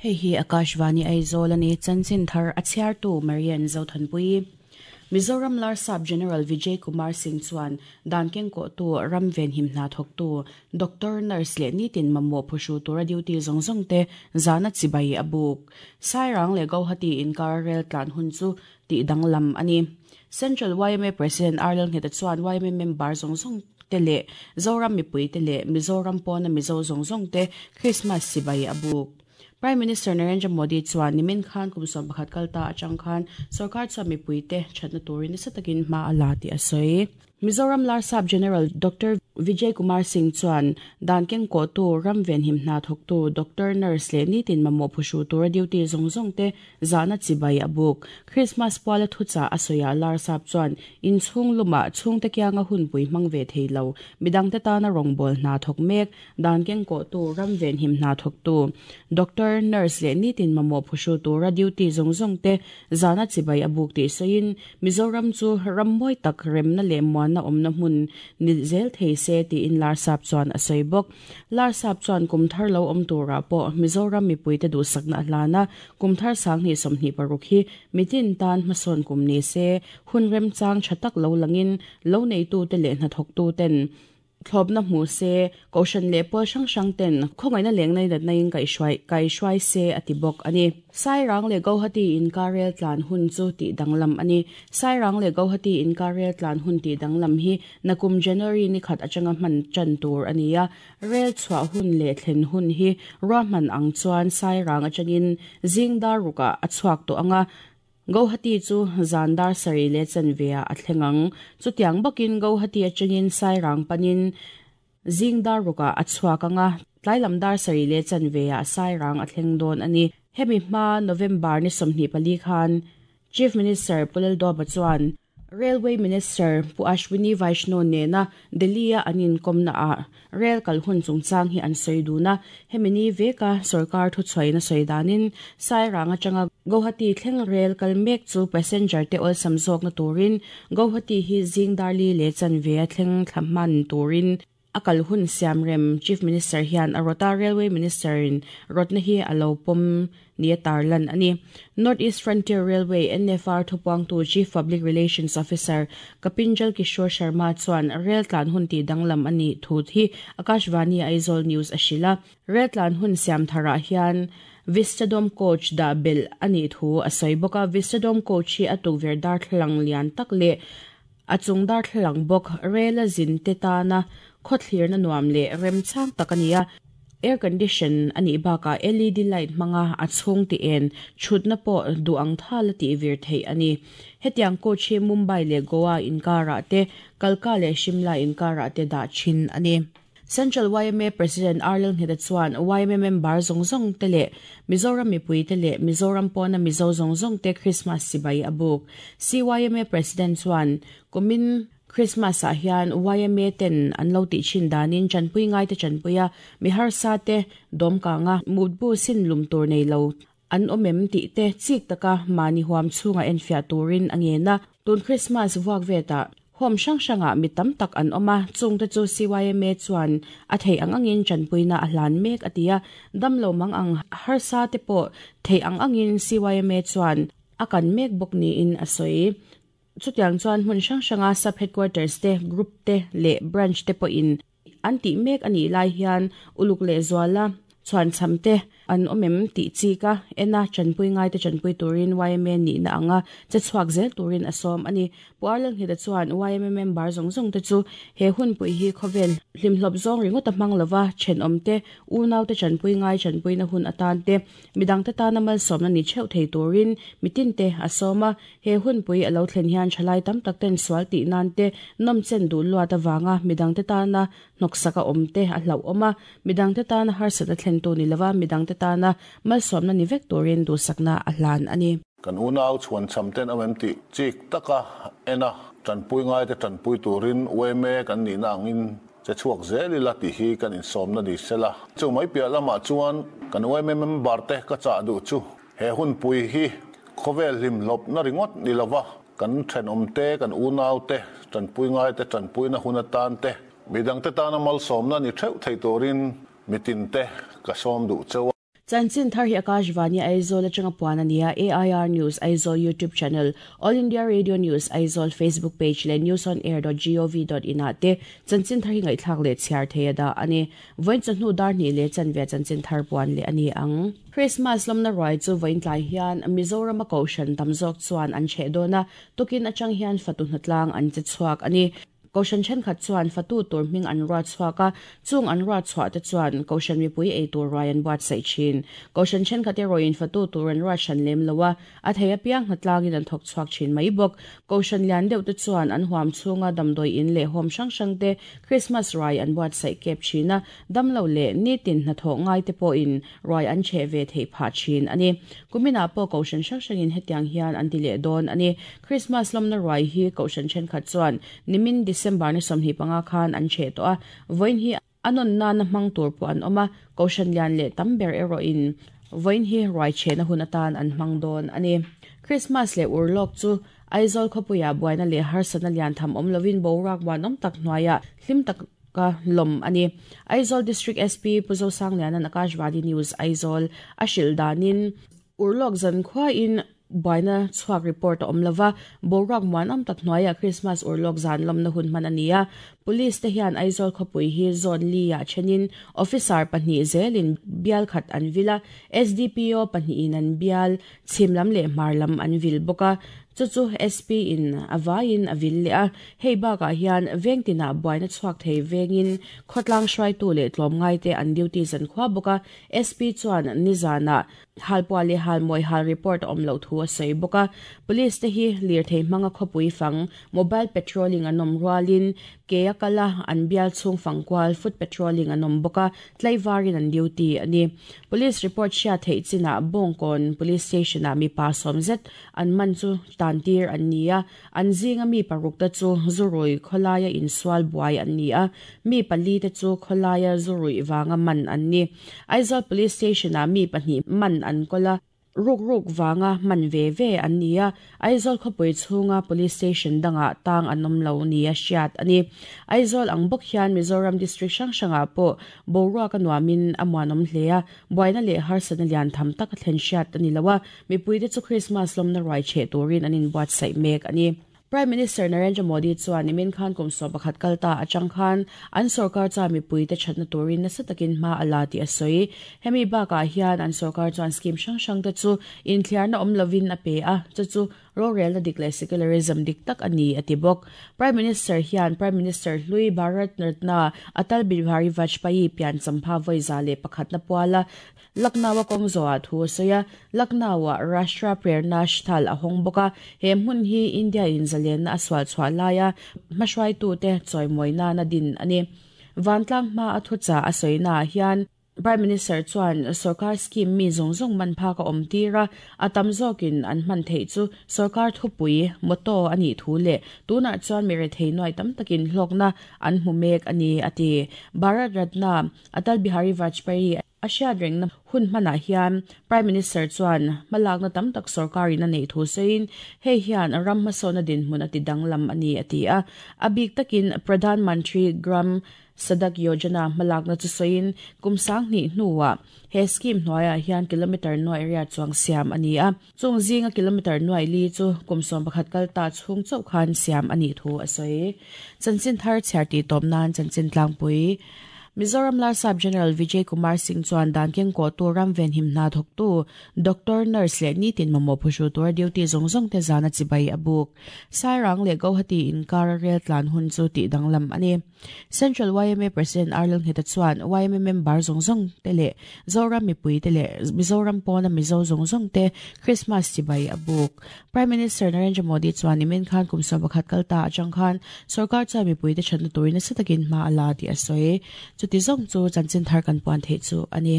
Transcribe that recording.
Hei hi Akashvani Aizawl a ni, chanchin thar a chhiartu Marian Zothanpuii. Mizoram Larsap General Vijay Kumar Singh chuan dan kengkawhtu, ram venhim hna thawktu, doctor, nurse leh nitin mamawh phuhru tura duty zawng zawng te zana chibai a buk. Sairang leh Guwahati inkar rel tlan hun chu tih danglam a ni. Central yma President Arlel Ngheta chuan yma member zawng zawng te leh Zoram mipui te leh Mizoram pawna Mizo zawng zawng te Krismas sibai a buk. Prime Minister Narendra Modi chuan nimin khan kum 11 kal ta atang khan sorkar chuan mipui te thatna turin nasa takin hma a la tih a sawi. Mizoram Larsap General Doctor Vijay Kumar Singh chuan dan kengkawhtu, ram venhim hna thawktu, doctor, nurse leh nitin mamawh phuhru tura duty zawng zawng te zahna chibai a buk. Krismas puala thuchah a sawiah Larsap chuan inchhung lumah chhungte kianga hunpui hmang ve thei lo, midangte tana rawngbâwl hna thawk mek, dan kengkawhtu, ram venhim hna thawktu, doctor, nurse leh nitin mamawh phuhru tura duty zawng zawng te zahna chibai a buk tih sawiin Mizoram chu ram mawi tak remna leh muanna awmna hmun ni zel thei se tiin Larsap chuan a sawi bawk. Larsap chuan kum thar lo awm turah pawh Mizoram mipuite duhsakna a hlan a, kum thar 2026 hi mitin tan hmasawn kum ni se, hun remchang tha tak lo langin lo neitute leh hnathawktuten Thlawpna hmu se, Kohhran leh pawl hrang hrang ten khawngaihna leng naidatna in kaihhruai kaihhruai se a ti bawk a ni. Sairang leh Guwahati inkar rel tlan hun chu tih danglam a ni. Sairang leh Guwahati inkar rel tlan hun tih danglam hi nakum January ni khat atanga hman tan tur a ni a. Rel chhuah hun leh thlen hun hi ruahman ang chuan Sairang atangin zing dar rukah a chhuak tawh ang a, Guwahati chu zan dar sarih leh chanve ah a thleng ang. Chutiang bawkin Guwahati atangin Sairang panin zing dar rukah a chhuak ang a, tlailam dar sarih leh chanve ah Sairang a thleng dawn a ni. Hemi hma November ni 24 khan Chief Minister Pu Lalduapa chuan Railway Minister Pu Ashwini Vaishnaw nena Delhi-a an inkawmna ah rel kal hun chungchang hi an sawi dun a, hemi ni veka sorkar thuchhuain a sawi danin Sairang atanga Guwahati thleng rel kal mek chu passenger te awlsam zawkna turin Guwahati hi zing darli leh chanve a thleng thla hman turin A kal hun siam rem Chief Minister hian a rawt a, Railway Minister in rawtna hi a lo pawm ni a tarlan a ni. North East Frontier Railway, NFR, thupuangtu Chief Public Relations Officer Kapinjal Kishore Sharma chuan rel tlan hun tih danglam a nih thu hi Akashvani Aizawl News a hrilh a. Rel tlan hun siam tharah hian Vistadome coach dah belh a nih thu a sawi bawk a. Vistadome coach hi a tukverh darthlalang lian tak leh A chung darthlalang bawk rela zin te tana khawthlirna nuam leh remchang tak a ni a, air condition a nih bakah led light hmanga a chhung ti en chhutna pawh duh ang thal a tih vir theih a ni. Hetiang coach hi Mumbai leh Goa inkarah te, Kalka leh Shimla inkarah te dah thin a ni. Central yma President Arlel Ngheta chuan yma member zawng zawng te leh Mizoram mipui te leh Mizoram pawna Mizo zawng zawng te Krismas sibai a buk. CYMA President chuan kumin Krismas ah hian yma ten an lo tih thin danin tanpui ngai te tanpui a, mi harsa te dawmkang a mutbu sin lum tur nei lo an awm em tih te chik taka mahni huam chhunga enfiah turin a ngen a. Tun Krismas vuak vetah Home hrang hrangah mi tam tak an awm a, chungte chu CYMA chuan a theih ang angin tanpuina a hlan mek a ti a, damlo mang ang harsa te pawh theih ang angin CYMA chuan a kan mek bawk niin a sawi. Chutiang chuan hmun hrang hranga Sub Headquarters te, Group te leh Branch te pawhin an tih mek a nih lai hian uluk leh zuala chhuanchham te an awm em tih chik a, en a, tanpui ngaite tanpui turin yma nihna anga che chhuak zel turin a sawm a ni. Pu Arlalnghita chuan yma member zawng zawng te chu he hunpui hi khawvel hlimhlawp zawng ringawt a hmang lova, thenawmte, unaute tanpui ngai tanpuina hun atan te, midangte tana malsawmna ni theuh thei turin mitinte a sawm a. He hunpui a lo thlen hian thalai tam tak ten sual tih nan te, nawmchen duh luat avanga midangte tana hnawksak a awm te a hlauhawm a, midangte tana harsatna thlentu ni lova midangte tana malsawmna ni vek turin duhsakna a hlan a ni. Kan unau chhuanchham ten awm em tih chik taka en a, tanpui ngaite tanpui turin yma kan nihna angin che chhuak zel ila tih hi kan insawmna ni sela. Chu mai piah lamah chuan kan yma member te ka chah duh chu He hunpui hi khawvel hlimhlawpna ringawt ni lova kan thenawmte, kan unaute, tanpui ngaite tanpuina hun atan te, midangte tana malsawmna ni theuh thei turin mitinte ka sawm duh cheu a. Chanchin thar hi Akashvani Aizawl atanga puan a ni a, AIR News Aizawl YouTube channel, All India Radio News Aizawl Facebook page leh newsonair.gov.in ah te chanchin thar hi ngaihthlak leh chhiar thei a dah a ni. Vawiin chawhnu dar hnih leh chanve chanchin thar puan leh a ni ang. Krismas lawmna ruai chu vawiin tlai hian Mizorama Kohhran tam zawk chuan an chheh dawn a, tukin atang hian fatu hnatlang an che chhuak a ni. Kohhran thenkhat chuan fatu tur hming an ruat chhuak a, chung an ruat chhuah te chuan Kohhran mipui ei tur ruai an buatsaih thin. Kohhran thenkhat erawhin fatu tur an ruat hran lem lo a, a thei apiang hnatlangin an thawk chhuak thin mai bawk. Kohhran lian deuh te chuan an huam chhunga damdawi in leh home hrang hrang te Krismas ruai an buatsaih kep thin a, damlo leh nitin hnathawh ngai te pawhin ruai an chheh ve theih phah thin a ni. Kuminah pawh Kohhran hrang hrangin hetiang hian an ti leh dawn a ni. Krismas lawmna ruai hi Kohhran thenkhat chuan nimin December ni 25 khan an chheh tawh a, vawiin hi a nawn nana hmang tur pawh an awm a, Kohhran lian leh tam ber erawhin vawiin hi ruai chhehna hun atan an hmang dawn a ni. Krismas leh urlawk chu Aizawl khawpuiah buaina leh harsatna lian tham awm lovin boruak muanawm tak hnuaiah hlim taka lawm a ni. Aizawl District SP Pu Zosangliana'n Akashvani News Aizawl a hrilh danin, Urlawk zan khuain buaina chhuak report a awm lova, boruak muanawm tak hnuaiah Krismas urlawk zan lawmna hun hman a ni a. Police te hian Aizawl khawpui hi zone li-ah thenin officer pahnih zelin bial khat an vil a, SDPO pahnihin an bial chhim lam leh hmar lam an vil bawk a, chu chu SP in a vaiin a vil leh a. Hei bakah hian veng tinah buaina chhuak thei vengin khawtlang hruaitu leh tlawmngaite an duty zan khua bawk a, SP chuan nizanah Halpuah leh halmawi hal report a awm loh thu a sawi bawk a. Police te hi lirthei hmanga khawpui fang, mobile patrolling an awm rualin ke a kal a, an bial chhung fang kual, foot patrolling an awm bawk a, tlaivarin an duty a ni. Police report hriat theih chinah Bawngkawn Police Station-ah mipa sawm zet an man chu tan tir an ni a, an zinga mi paruk te chu zurui khawlaia insual buai an ni a, mi pali te chu khawlaia zuruih vanga man an ni. Aizawl Police Station-ah mi pahnih man an kawl a, ruk ruk vanga man ve ve an ni a, Aizawl khawpui chhunga Police Station dangah tang an awm lo nia hriat a ni. Aizawl ang bawk hian Mizoram District hrang hrangah pawh boruak a nuamin a muanawm hle a, buaina leh harsatna lian tham tak a thlen hriat a ni lo a, mipuite chu Krismas lawmna ruai chheh turin an inbuatsaih mek a ni. Prime Minister Narendra Modi chuan nimin khan kum 11 kal ta atang khan an sorkar chuan mipuite thatna turin nasa takin hma a la tih a sawi. Hemi bakah hian an sorkar chuan scheme hrang hrang te chu inthiarna awm lovin a pe a, chu chu rorelna dik leh secularism dik tak a ni a ti bawk. Prime Minister hian Prime Minister hlui Bharat Ratna Atal Bihari Vajpayee pian champha vawi za leh pakhatna puala Lucknow-a kawng zawhah thu a sawi a, Lucknow-ah Rashtra Prerna Sthal a hawng bawk a, he hmun hi India-in zalenna a sual chhuah laia hmahruaitute chawimawi nana din a ni. Vantlang hma a thuchah a sawinaah hian Prime Minister chuan sorkar scheme mi zawng zawng man phak a awm tir a, a tam zawkin an hman theih chu sorkar thupui, motto, a nih thu leh tunah chuan mi rethei nuai tam takin hlawkna an hmu mek a ni, a ti. Bharat Ratna Atal Bihari Vajpayee A hriat rengna hun hmanah hian Prime Minister chuan hmalakna tam tak sorkarin a neih thu sawiin hei hian ram hmasawnna dinhmun a ti danglam a ni a ti a. A bik takin Pradhan Mantri Gram Sadak Yojana hmalakna chu sawiin kum 2000 hnuah he scheme hnuaiah hian kilometre nuai riat chuang siam a ni a. Chung zinga kilometre nuai li chu kum 11 kal ta chhung chauh khan siam a nih thu a sawi. Chanchin thar chhiar tih tawp nan chanchin tlangpui Mizoram Larsap General Vijay Kumar Singh chuan dan keng kawhtu ram venhim hna thawktu doctor, nurse leh nitin mamawh phuhru tura duty zawng zawng te zana chibai a buk. Sairang leh Guwahati inkar a rel tlan hun chu tih danglam a ni. Central YMA President R Lalngheta chuan YMA member zawng zawng te leh Zoram mipui te leh Mizoram pawna Mizo zawng zawng te Christmas chibai a buk. Prime Minister Narendra Modi chuan nimin khan kum 11 kal ta atang khan sorkar chuan mipui te thatna turin nasa takin hma a la tih a sawi. Chuti zawng chu chanchin thar kan puan theih chu a ni.